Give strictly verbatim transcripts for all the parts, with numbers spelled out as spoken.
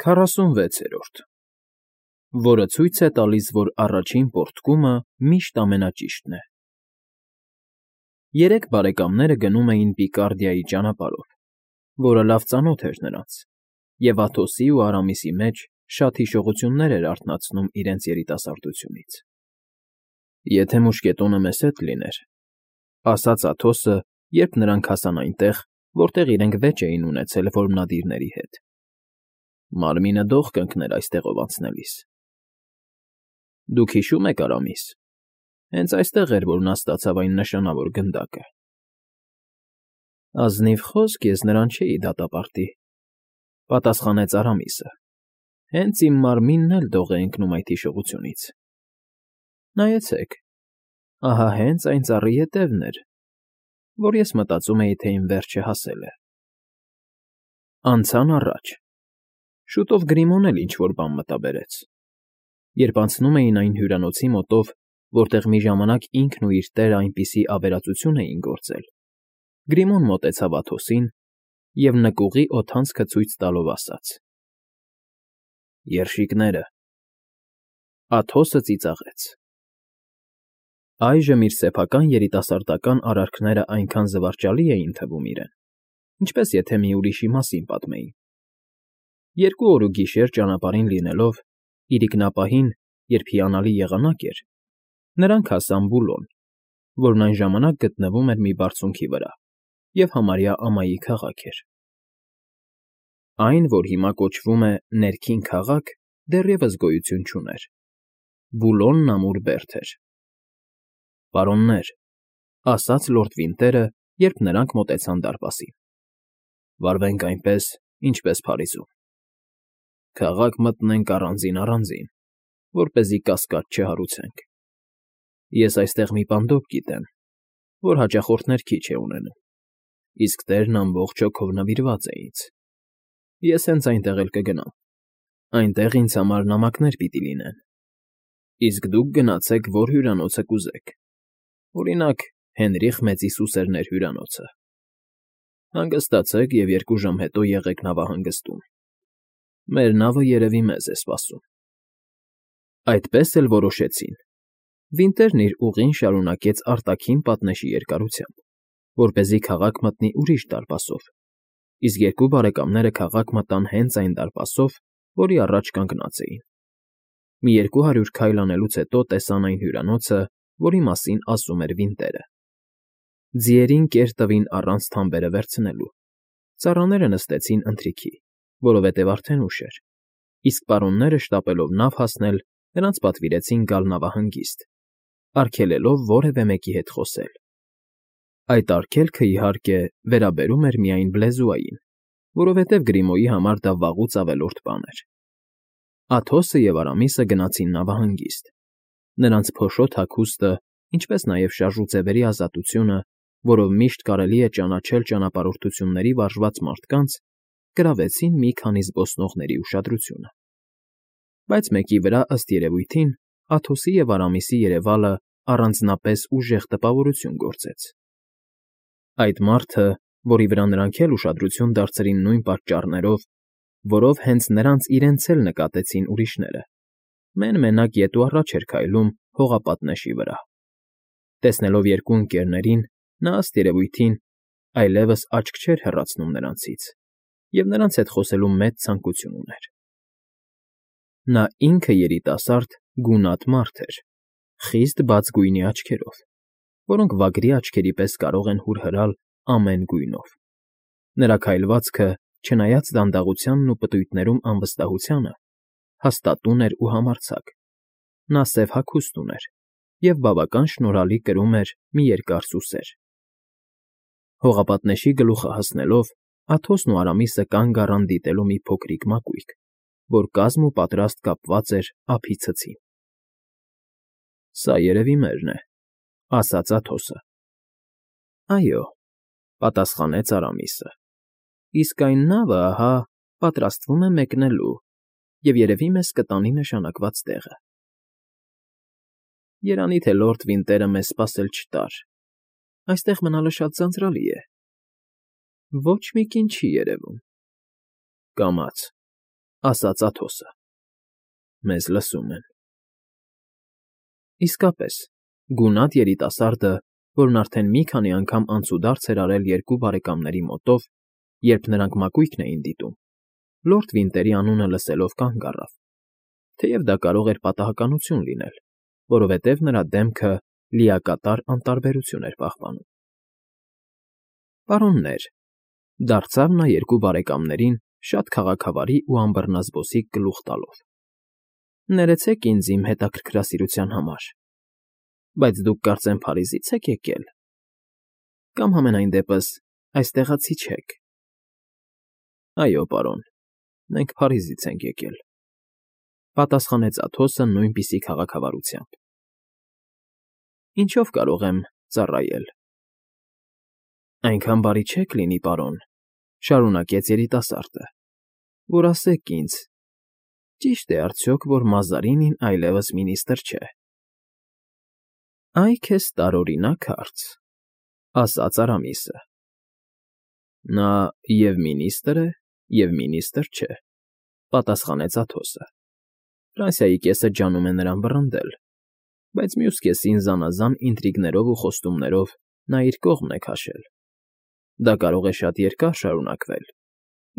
Քառասունվեցերորդ, որը ցույց է տալիս, որ առաջին պոռթկումը միշտ ամենաճիշտն է։ Երեք բարեկամները գնում էին Պիկարդիայի ճանապարհով, որը լավ ծանոթ էր նրանց, և Աթոսի ու Արամիսի մեջ շատ հիշողություններ էր արթնացնում իրենց երիտասարդությունից։ «Եթե մուշկետոնը մեզ հետ լիներ,֊ ասաց Աթոսը, երբ նրանք հասան այնտեղ, որտեղ իրենք վեճ էին ունեցել որմնադիրների հետ,֊ մարմինը դող կընկներ այստեղով անցնելիս»։ Դուք հիշո՞ւմ եք, Արամիս, հենց այստեղ էր, որ նա ստացավ այն նշանավոր գնդակը։ Ազնիվ խոսք ես նրան չէի դատապարտի,֊ պատասխանեց Արամիսը, հենց իմ մարմինն էլ դող է ընկնում այդ հիշողությունից։ Նայեցեք, ահա հենց այն ծառի ետևն էր, որ ես մտածում էի, թե իմ վերջը հասել է։ Անցան առաջ. շուտով Գրիմոն էլ ինչ֊որ բան մտաբերեց։ Երբ անցնում էին այն հյուրանոցի մոտով, որտեղ մի ժամանակ ինքն ու իր տերը այնպիսի ավերածություն էին գործել, Գրիմոն մոտեցավ Աթոսին և նկուղի օդանցքը ցույց տալով ասաց. «Երշիկները»։ Աթոսը ծիծաղեց։ Այժմ իր սեփական երիտասարդական արարքներն այնքան զվարճալի էին թվում իրեն, ինչպես եթե մի ուրիշի մասին պատմեին։ Երկու օր ու գիշեր ճանապարհին լինելով, իրիկնապահին, երբ հիանալի եղանակ էր, նրանք հասան Բուլոն, որն այն ժամանակ գտնվում էր մի բարձունքի վրա և համարյա ամայի քաղաք էր։ Այն, որ հիմա կոչվում է Ներքին քաղաք, դեռևս գոյություն չուներ։ Բուլոնն ամուր բերդ էր։ «Պարոններ,֊ ասաց լորդ Վինտերը, երբ նրանք մոտեցան դարպասին,֊ վարվենք այնպես, ինչպես Փարիզում. քաղաք մտնենք առանձին֊առանձին, որպեսզի կասկած չհարուցենք։ Ես այստեղ մի պանդոկ գիտեմ, որ հաճախորդներ քիչ է ունենում, իսկ տերն ամբողջ հոգով նվիրված է ինձ։ Ես հենց այնտեղ էլ կգնամ, այնտեղ ինձ համար նամակներ պիտի լինեն, իսկ դուք գնացեք, որ հյուրանոցը կուզեք, օրինակ, Հենրիխ Մեծիսուսերներ հյուրանոցը։ Հանգստացեք և երկու ժամ հետո եղեք նավահանգստում։ Մեր նավը երևի մեզ է սպասում։ Այդպես էլ որոշեցին։ Վինտերն իր ուղին շարունակեց արտաքին պատնեշի երկարությամբ, որպեսզի քաղաք մտնի ուրիշ դարպասով, իսկ երկու բարեկամները քաղաք մտան հենց այն դարպասով, որի առաջ կանգնած էին։ Մի երկու հարյուր քայլ անելուց հետո տեսան այն հյուրանոցը, որի մասին ասում էր Վինտերը։ Ձիերին կեր տվին առանց թամբերը վերցնելու, ծառաները նստեցին ընթրիքի, որովհետև արդեն ուշ էր, իսկ պարոնները շտապելով նավ հասնել, նրանց պատվիրեցին գալ նավահանգիստ, արգելելով որևէ մեկի հետ խոսել։ Այդ արգելքը, իհարկե, վերաբերում էր միայն Բլեզուային, որովհետև Գրիմոյի համար դա վաղուց ավելորդ բան էր։ Աթոսը և Արամիսը գնացին նավահանգիստ։ Նրանց փոշոտ հագուստը, ինչպես նաև շարժուձևերի ազատությունը, որով միշտ կարելի է ճանաչել ճանապարհորդությունների վարժված մարդկանց, գրավեցին մի քանի զբոսնողների ուշադրությունը։ Բայց մեկի վրա, ըստ երևույթին, Աթոսի և Արամիսի երևալը առանձնապես ուժեղ տպավորություն գործեց։ Այդ մարդը, որի վրա նրանք էլ ուշադրություն դարձրին նույն պատճառներով, որով հենց նրանց իրենց էլ նկատեցին ուրիշները, մեն֊մենակ ետ ու առաջ էր քայլում հողապատնեշի վրա։ Տեսնելով երկու ընկերներին, նա, ըստ երևույթին, այլևս աչք չէր հեռացնում նրանցից և նրանց հետ խոսելու մեծ ցանկություն ուներ։ Նա ինքը երիտասարդ, գունատ մարդ էր, խիստ բաց գույնի աչքերով, որոնք վագրի աչքերի պես կարող են հուրհրալ ամեն գույնով։ Նրա քայլվածքը, չնայած դանդաղությանն ու պտույտներում անվստահությանը, հաստատուն էր ու համարձակ։ Նա սև հագուստ ուներ և բավական շնորհալի կրում էր մի երկար սուսեր։ Հողապատնեշի գլուխը հասնելով, Աթոսն ու Արամիսը կանգ առան դիտելու մի փոքրիկ մակույկ, որ կազմ ու պատրաստ կապված էր ափի ցցին։ «Սա երևի մերն է,֊ ասաց Աթոսը։ «Այո,֊ պատասխանեց Արամիսը,֊ իսկ այն նավը, ահա, պատրաստվում է մեկնելու և երևի մեզ կտանի նշանակված տեղը։ Երանի թե լորդ Վինտերը մեզ սպասել չտար, այստեղ մնալը շատ ձանձրալի է։ Ոչ մի կին չի երևում։ Կամաց, ասաց Աթոսը։ Մեզ լսում են։ Իսկապես, գունատ երիտասարդը, որն արդեն մի քանի անգամ անցուդարձ էր արել երկու բարեկամների մոտով, երբ նրանք մակույկն էին դիտում, լորդ Վինտերի անունը լսելով կանգ առավ, թեև դա կարող էր պատահականություն լինել, որովհետև նրա դեմքը լիակատար անտարբերություն էր պահպանում։ Պարոններ, դարձավ նա երկու բարեկամներին շատ քաղաքավարի ու անբռնազբոսիկ գլուխ տալով. Ներեցեք ինձ իմ հետաքրքրասիրության համար, բայց դուք կարծեմ Փարիզից եք եկել, կամ համենայն դեպս այստեղացի չեք։ Այո, պարոն, մենք Փարիզից ենք եկել, պատասխանեց Աթոսը նույնպիսի քաղաքավարությամբ։ Ինչով կարող եմ ծառայել։ Այնքան բարի չեք լինի, պարոն, շարունակեց երիտասարդը, որ ասեք ինձ, ճի՞շտ է արդյոք, որ Մազարինին այլևս մինիստր չէ։ Այ քեզ տարօրինակ հարց, ասաց Արամիսը։ Նա և մինիստր է, և մինիստր չէ, պատասխանեց Աթոսը։ Ֆրանսիայի կեսը ջանում է նրան վռնդել, բայց մյուս կեսին զանազան ինտրիգներով ու խոստումներով նա իր կողմն է քաշել։ Դա կարող է շատ երկար շարունակվել,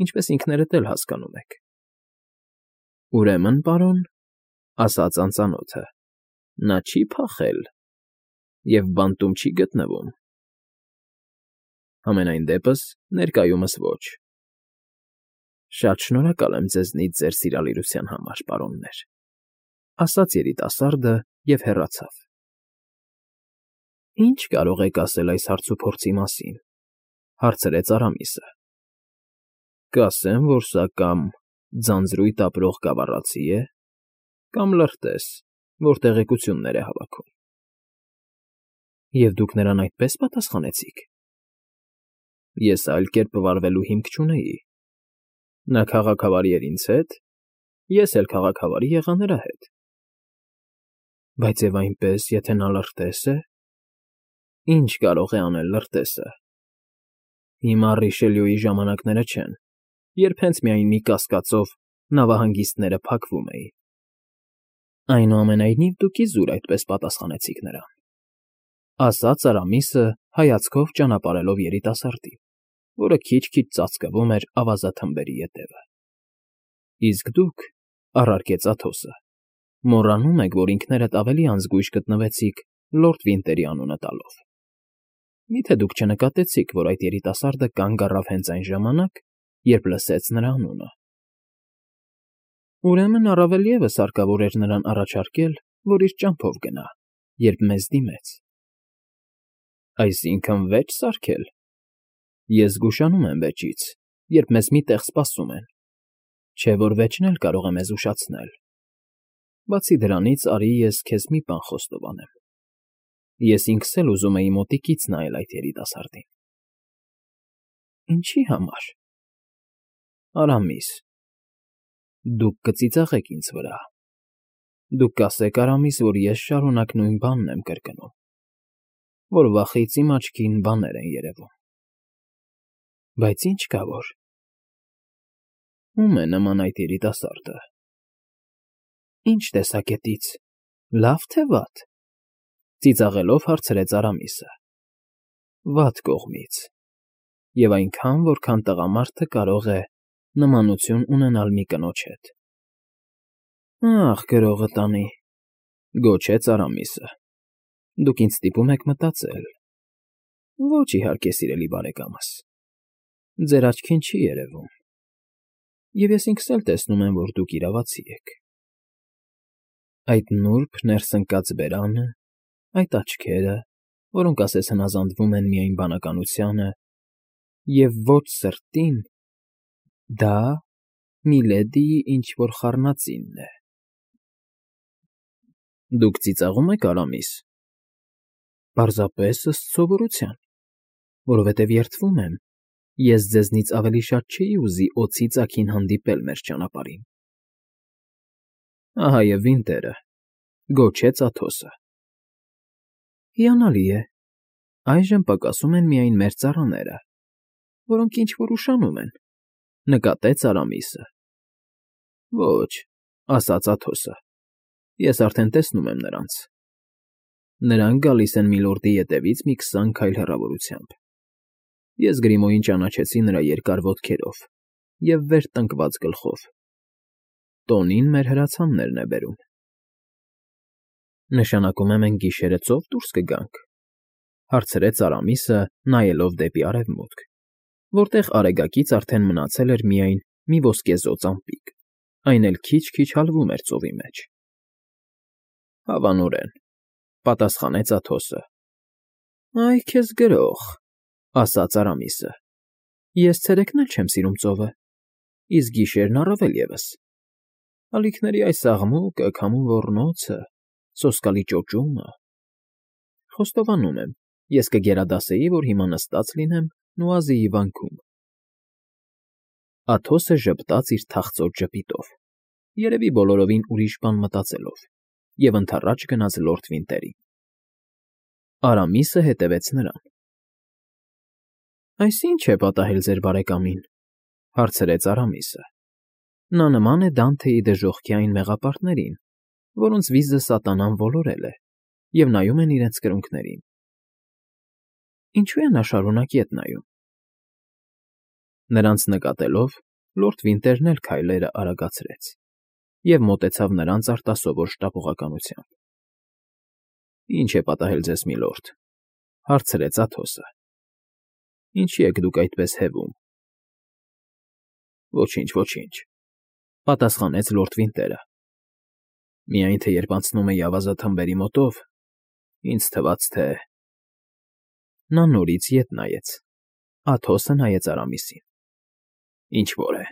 ինչպես ինքներդ էլ հասկանում եք։ Ուրեմն, պարոն, ասաց անծանոթը, նա չի փախել և բանտում չի գտնվում։ Համենայն դեպս, ներկայումս ոչ։ Շատ շնորհակալ եմ ձեզնից ձեր սիրալիրության համար, պարոններ, ասաց երիտասարդը և հեռացավ։ Ինչ կարող եք ասել այս հարցուփորձի մասին, հարցրեց Արամիսը։ Կասեմ, որ սա կամ ձանձրույթ ապրող գավառացի է, կամ լրտես, որ տեղեկություններ է հավաքում։ Եվ դուք նրան այդպես պատասխանեցիք։ Ես այլ կերպ վարվելու հիմք չունեի։ Նա քաղաքավարի էր ինձ հետ, ես էլ քաղաքավարի եղա նրա հետ։ Բայց և այնպես, եթե նա լրտես է, ինչ կարող է անել լրտեսը։ Հիմա Ռիշելյուի ժամանակները չեն, երբ հենց միայն մի կասկածով նավահանգիստները փակվում էին։ Այնուամենայնիվ դուք իզուր այդպես պատասխանեցիք նրան, ասաց Արամիսը հայացքով ճանապարհելով երիտասարդին, որը քիչ֊քիչ ծածկվում էր ավազաթմբերի ետևը։ Իսկ դուք, առարկեց Աթոսը, մոռանում եք, որ ինքներդ ավելի անզգույշ գտնվեցիք լորդ Վինտերի անունը տալով։ Մի՞թե դուք չնկատեցիք, որ այդ երիտասարդը կանգ առավ հենց այն ժամանակ, երբ լսեց նրա անունը։ Ուրեմն առավել ևս հարկավոր էր նրան առաջարկել, որ իր ճամփով գնա, երբ մեզ դիմեց։ Այսինքն՝ վեճ սարքել։ Ես զգուշանում եմ վեճից, երբ մեզ մի տեղ սպասում են, չէ՞ որ վեճն էլ կարող է մեզ ուշացնել։ Բացի դրանից, արի ես քեզ մի բան խոստովանեմ։ Ես ինքս էլ ուզում էի մոտիկից նայել այդ երիտասարդին։ Ինչի համար։ Արամիս, դուք կծիծաղեք ինձ վրա։ Դուք կասեք, Արամիս, որ ես շարունակ նույն բանն եմ կրկնում, որ վախից իմ աչքին բաներ են երևում։ Բայց ինչ կա որ։ Ո՞ւմ է նման այդ երիտասարդը։ Ինչ տեսակետից, լավ թե վատ։ Ծիծաղելով հարցրեց Արամիսը։ Վատ կողմից։ Եվ այնքան, որքան տղամարդը կարող է նմանություն ունենալ մի կնոջ հետ։ Ախ, գրողը տանի, գոչեց Արամիսը։ Դուք ինձ ստիպում եք մտածել։ Ոչ, իհարկե, սիրելի բարեկամս։ Ձեր աչքին չի երևում։ Եվ ես ինքս էլ տեսնում եմ, որ դուք իրավացի եք։ Այդ նուրբ ներսընկած բերանը, այդ աչքերը, որոնք ասես հնազանդվում են միայն բանականությանը, և ոչ սրտին, դա միլեդիի ինչ֊որ խառնածինն է։ Դուք ծիծաղում եք, Արամիս։ Պարզապես ըստ սովորության, որովհետև երդվում եմ, ես ձեզնից ավելի շատ չէի ուզի օձի ծագին հանդիպել մեր ճանապարհին։ Ահա և Վինտերը, գոչեց Աթոսը։ Հիանալի է, այժմ պակասում են միայն մեր ծառաները, որոնք ինչ֊որ ուշանում են, նկատեց Արամիսը։ Ոչ, ասաց Աթոսը, ես արդեն տեսնում եմ նրանց։ Նրանք գալիս են միլորդի ետևից մի քսան քայլ հեռավորությամբ։ Ես Գրիմոյին ճանաչեցի նրա երկար ոտքերով և վեր տնկված գլխով։ Տոնին մեր հրացաններն է բերում։ Նշանակում է մենք գիշերը ծով դուրս կգանք, հարցրեց Արամիսը, նայելով դեպի արևմուտք, որտեղ արեգակից արդեն մնացել էր միայն մի ոսկեզօծ ամպիկ, այն էլ քիչ֊քիչ հալվում էր ծովի մեջ։ Հավանորեն, պատասխանեց Աթոսը։ Այ քեզ գրող, ասաց Արամիսը։ Ես ցերեկն էլ չեմ սիրում ծովը, իսկ գիշերն առավել ևս։ Ալիքների այս աղմուկը, քամու ոռնոցը, սոսկալի ճոճումը… Խոստովանում եմ, ես կգերադասեի, որ հիմա նստած լինեմ Նուազիի վանքում։ Աթոսը ժպտաց իր թախծոտ ժպիտով, երևի բոլորովին ուրիշ բան մտածելով, և ընդառաջ գնաց լորդ Վինտերին։ Արամիսը հետևեց նրան։ Այս ի՞նչ է պատահել ձեր բարեկամին, հարցրեց Արամիսը։ Նա նման է Դանթեի դժոխքի այն մեղապարտներին, որոնց վիզը սատանան ոլորել է, և նայում են իրենց կրունկներին։ Ինչու է նա շարունակ ետ նայում։ Նրանց նկատելով, լորդ Վինտերն էլ քայլերը արագացրեց և մոտեցավ նրանց արտասովոր շտապողականությամբ։ Ի՞նչ է պատահել ձեզ, միլորդ, հարցրեց Աթոսը։ Ինչի եք դուք այդպես հևում։ Ոչինչ, ոչինչ, պատասխանեց լորդ Վինտերը։ Միայն թե երբ անցնում էի ավազաթմբերի մոտով, ինձ թվաց, թե… Նա նորից ետ նայեց։ Աթոսը նայեց Արամիսին։ Ինչ֊որ է,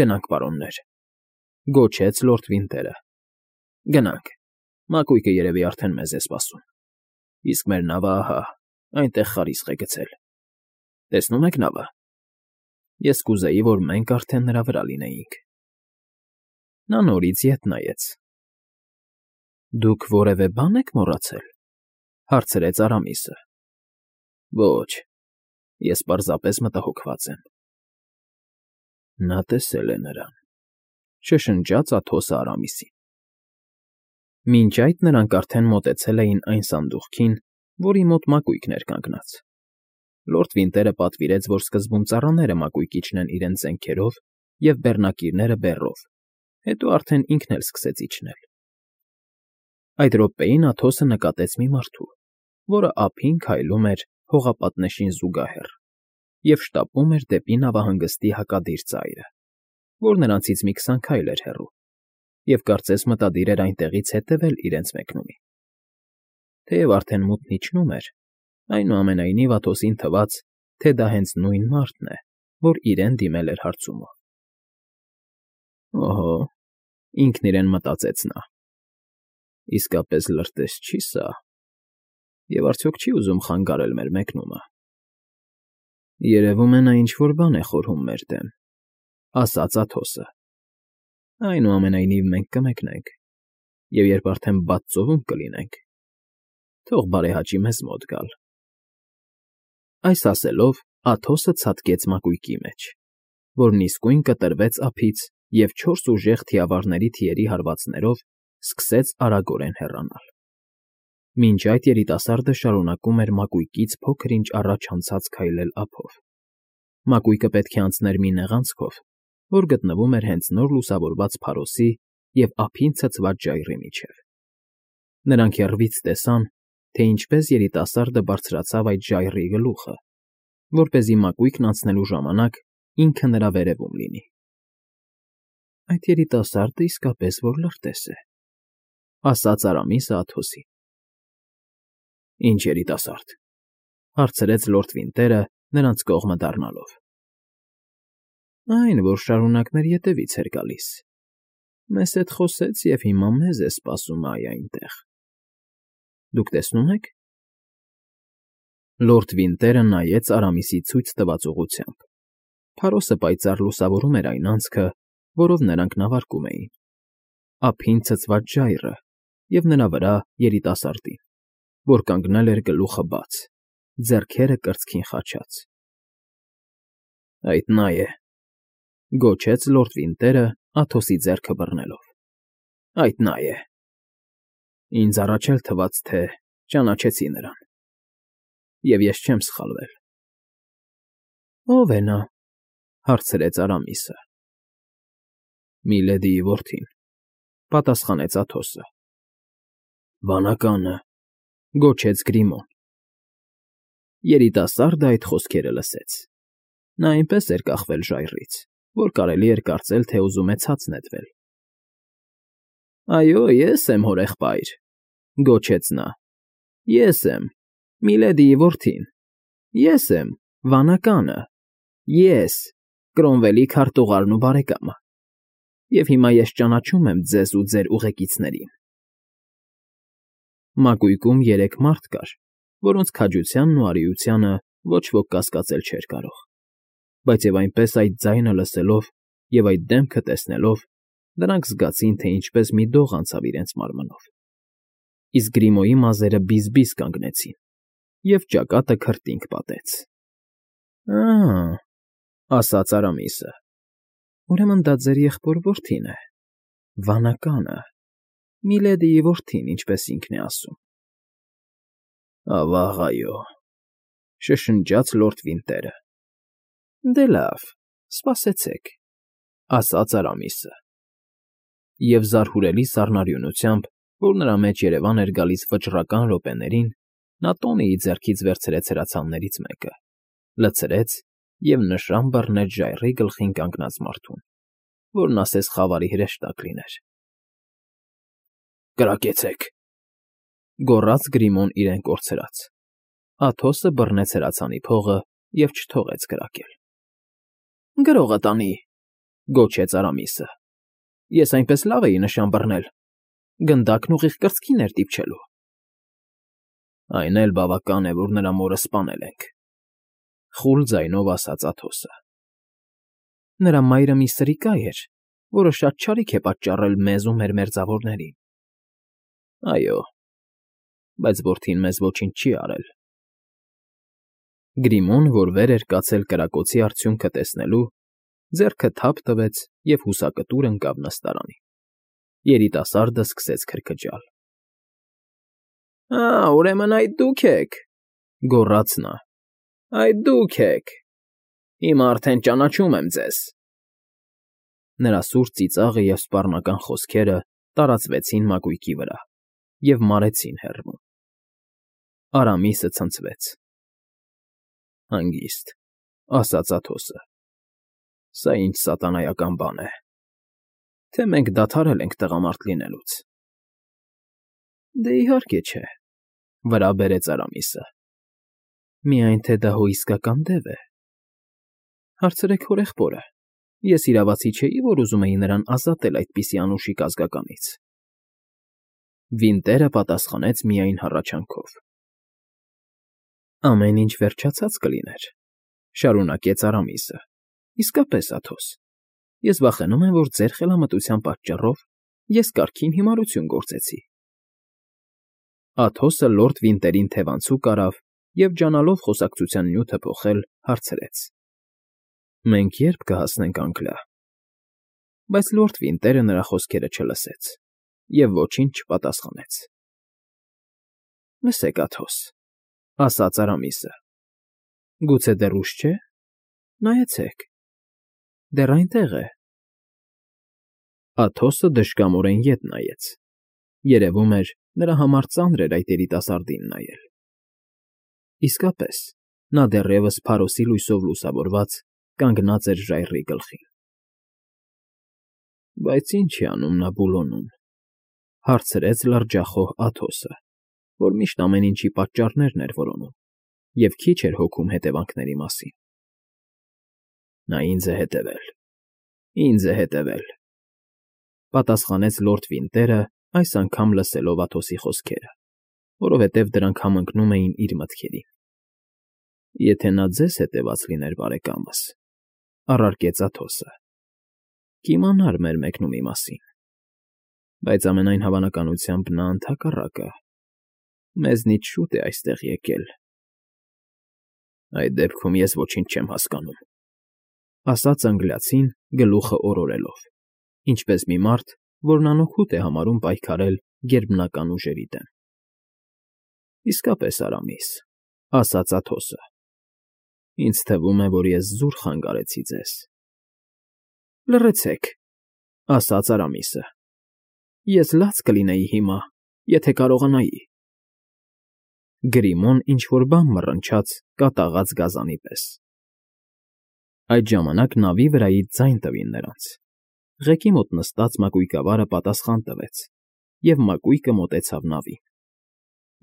գնանք, պարոններ, գոչեց լորդ Վինտերը։ Գնանք, մակույկը երևի արդեն մեզ է սպասում, իսկ մեր նավը ահա այնտեղ խարիսկ է գցել։ Տեսնո՞ւմ եք նավը։ Ես կուզեի, որ մենք արդեն նրա վրա լինեինք։ Նա նորից ետ նայեց։ Դուք որևէ բան եք մոռացել, հարցրեց Արամիսը։ Ոչ, ես պարզապես մտահոգված եմ։ Նա տեսել է նրան, շշնջաց Աթոսը Արամիսին։ Մինչ այդ նրանք արդեն մոտեցել էին այն սանդուղքին, որի մոտ մակույկն էր կանգնած։ Լորդ Վինտերը պատվիրեց, որ սկզբում ծառաները մակույկի իջնեն իրենց զենքերով և բեռնակիրները բեռով, հետո արդեն ինքն էլ սկսեց իջնել։ Այդ րոպեին Աթոսը նկատեց մի մարդու, որը ափին քայլում էր հողապատնեշին զուգահեռ և շտապում էր դեպի նավահանգստի հակադիր ծայրը, որ նրանցից մի քսան քայլ էր հեռու, և կարծես մտադիր էր այնտեղից հետևել իրենց մեկնումին։ Թեև արդեն մութն իջնում էր, այնուամենայնիվ Աթոսին թվաց, թե դա հենց նույն մարդն է, որ իրեն դիմել էր հարցումով։ Օհո, ինքն իրեն մտածեց նա, իսկապես լրտես չի՞ սա, և արդյոք չի՞ ուզում խանգարել մեր մեկնումը։ Երևում է նա ինչ֊որ բան է խորհում մեր դեմ, ասաց Աթոսը։ Այնուամենայնիվ մենք կմեկնենք, և երբ արդեն բաց ծովում կլինենք, թող բարեհաճի մեզ մոտ գալ։ Այս ասելով Աթոսը ցատկեց մակույկի մեջ, որն իսկույն կտրվեց ափից և չորս ուժեղ թիավարների թիերի հարվածներով սկսեց արագորեն հեռանալ։ Մինչ այդ երիտասարդը շարունակում էր մակույկից փոքր֊ինչ առաջ անցած քայլել ափով։ Մակույկը պետք է անցներ մի նեղանցքով, որ գտնվում էր հենց նոր լուսավորված փարոսի և ափին ցցված ժայռի միջև։ Նրանք եռվից տեսան, թե ինչպես երիտասարդը բարձրացավ այդ ժայռի գլուխը, որպեսզի մակույկն անցնելու ժամանակ ինքը նրա վերևում լինի։ Այդ երիտասարդը իսկապես որ լրտես է, ասաց Արամիսը Աթոսին։ Ինչ երիտասարդ, հարցրեց լորդ Վինտերը նրանց կողմը դառնալով։ Այն, որ շարունակ մեր ետևից էր գալիս, մեզ հետ խոսեց և հիմա մեզ է սպասում այ այնտեղ։ Դուք տեսնո՞ւմ եք։ Լորդ Վինտերը նայեց Արամիսի ցույց տված ուղղությամբ։ Փարոսը պայծառ լուսավորում էր այն անցքը, որով նրանք նավարկում էին, ափին ցցված ժայռը և նրա վրա երիտասարդին, որ կանգնել էր գլուխը բաց, ձեռքերը կրծքին խաչած։ Այդ նա է, գոչեց լորդ Վինտերը Աթոսի ձեռքը բռնելով։ Այդ նա է։ Ինձ առաջ էլ թվաց, թե ճանաչեցի նրան։ Եվ ես չեմ սխալվել։ Ո՞վ է նա,֊ հարցրեց Արամիսը։ Միլեդիի որդին,֊ պատասխանեց Աթոսը։ Վանականը,֊ գոչեց Գրիմոն։ Երիտասարդը այդ խոսքերը լսեց։ Նա այնպես էր կախվել ժայռից, որ կարելի էր կարծել, թե ուզում է ցած նետվել։ Այո, ես եմ, հորեղբայր,֊ գոչեց նա։ Ես եմ, Միլեդիի որդին, ես եմ, Վանականը, ես, Կրոնվելի քարտուղարն ու բարեկամը, և հիմա ես ճանաչում եմ ձեզ ու ձեր ուղեկիցներին։ Մակույկում երեք մարդ կար, որոնց քաջությանն ու արիությանը ոչ ոք կասկածել չէր կարող, բայց և այնպես այդ ձայնը լսելով և այդ դեմքը տեսնելով, նրանք զգացին, թե ինչպես մի դող անցավ իրենց մարմնով, իսկ Գրիմոյի մազերը բիզ֊բիզ կանգնեցին, և ճակատը քրտինք պատեց։ Ա՜, ասաց Արամիսը, ուրեմն դա ձեր եղբոր որդին է, Վանականը, Միլեդիի որդին, ինչպես ինքն է ասում։ Ավա՜ղ, այո,֊ շշնջաց լորդ Վինտերը։ Դե լավ, սպասեցեք,֊ ասաց Արամիսը։ Եվ զարհուրելի սառնարյունությամբ, որ նրա մեջ երևան էր գալիս վճռական րոպեներին, նա Տոնիի ձեռքից վերցրեց հրացաններից մեկը, լցրեց և նշան բռնեց ժայռի գլխին կանգնած մարդուն, որն ասես խավարի հրեշտակ լիներ։ Կրակեցեք,֊ գոռաց Գրիմոն իրեն կորցրած։ Աթոսը բռնեց հրացանի փողը և չթողեց կրակել։ Գրողը տանի,֊ գոչեց Արամիսը։ Ես այնպես լավ էի նշան բռնել, գնդակն ուղիղ կրծքին էր դիպչելու։ Այն էլ բավական է, որ նրա մորը սպանել ենք,֊ խուլ ձայնով ասաց Աթոսը։ Նրա մայրը մի սրիկա էր, որը շատ չարիք է պատճառել մեզ ու մեր մերձավորներին։ Այո, բայց որդին մեզ ոչինչ չի արել։ Գրիմոն, որ վեր էր կացել կրակոցի արդյունքը տեսնելու, ձեռքը թափ տվեց և հուսակտուր ընկավ նստարանին։ Երիտասարդը սկսեց քրքջալ։ Ա, ուրեմն այդ դուք եք,֊ գոռաց նա։ Այդ դուք եք… Հիմա արդեն ճանաչում եմ ձեզ։ Նրա սուր ծիծաղը և սպառնական խոսքերը տարածվեցին մակույկի վրա և մարեցին հեռվում։ Արամիսը ցնցվեց։ Հանգիստ,֊ ասաց Աթոսը։ Սա ինչ սատանայական բան է… Թե մենք դադարել ենք տղամարդ լինելուց։ Դե, իհարկե չէ,֊ վրա բերեց Արամիսը։ Միայն թե դա հո իսկական դև է։ Հարցրեք հորեղբորը, ես իրավացի չէի, որ ուզում էի նրան ազատել այդպիսի անուշիկ ազգականից։ Վինտերը պատասխանեց միայն հառաչանքով։ Ամեն ինչ վերջացած կլիներ,֊ շարունակեց Արամիսը։ Իսկապես, Աթոս, ես վախենում եմ, որ ձեր խելամտության պատճառով ես կարգին հիմարություն գործեցի։ Աթոսը լորդ Վինտերին թևանցուկ արավ և, ջանալով խոսակցության նյութը փոխել, հարցրեց. Մենք ե՞րբ կհասնենք Անգլիա։ Բայց լորդ Վինտերը նրա խոսքերը չլսեց և ոչինչ չպատասխանեց։ Լսեք, Աթոս,֊ ասաց Արամիսը, գուցե դեռ ուշ չէ։ Նայեցեք, դեռ այնտեղ է։ Աթոսը դժկամորեն ետ նայեց։ Երևում էր, նրա համար ծանր էր այդ երիտասարդին նայել։ Իսկապես, նա դեռևս փարոսի լույսով լուսավորված կանգնած էր ժայռի գլխին։ Բայց ի՞նչ է անում նա Բուլոնում,֊ հարցրեց լրջախոհ Աթոսը, որ միշտ ամեն ինչի պատճառներն էր որոնում և քիչ էր հոգում հետևանքների մասին։ Նա ինձ է հետևել, ինձ է հետևել,֊ պատասխանեց լորդ Վինտերը, այս անգամ լսելով Աթոսի խոսքերը, որովհետև դրանք համընկնում էին իր մտքերին։ Եթե նա ձեզ հետևած լիներ, բարեկամս,֊ առարկեց Աթոսը, կիմանար մեր մեկնումի մասին։ Բայց ամենայն հավանականությամբ նա ընդհակառակը, մեզնից շուտ է այստեղ եկել։ Այդ դեպքում ես ոչինչ չեմ հասկանում,֊ ասաց անգլիացին, գլուխը օրորելով, ինչպես մի մարդ, որն անօգուտ է համարում պայքարել գերբնական ուժերի դեմ։ ֊ Իսկապես, Արամիս,֊ ասաց Աթոսը,֊ ինձ թվում է, որ ես զուր խանգարեցի ձեզ։ ֊ Լռեցեք,֊ ասաց Արամիսը,֊ ես լաց կլինեի հիմա, եթե կարողանայի… Գրիմոն ինչ֊որ բան մռնչաց կատաղած գազանի պես։ Այդ ժամանակ նավի վրայից ձայն տվին նրանց. ղեկի մոտ նստած մակույկավարը պատասխան տվեց, և մակույկը մոտեցավ նավին։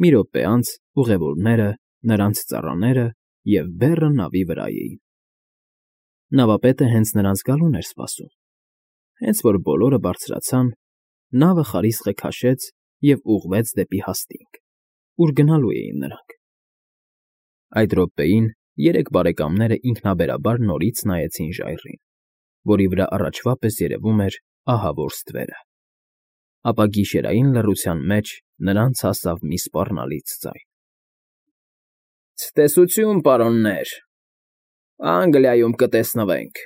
Մի րոպե անց ուղևորները, նրանց ծառաները և բեռը նավի վրա էին։ Նավապետը հենց նրանց գալուն էր սպասում։ Հենց որ բոլորը բարձրացան, նավը խարիսխը քաշեց և ուղղվեց դեպի հաստինգ, ուր գնալու էին նրանք։ Այդ րոպեին երեք բարեկամները ինքնաբերաբար նորից նայեցին ժայռին, որի վրա առաջվա պես երևում էր ահավոր ստվերը։ Ապա գիշերային լռության մեջ նրանց հասավ մի սպառնալից ձայն. «Ցտեսություն, պարոններ… Անգլիայում կտեսնվենք»։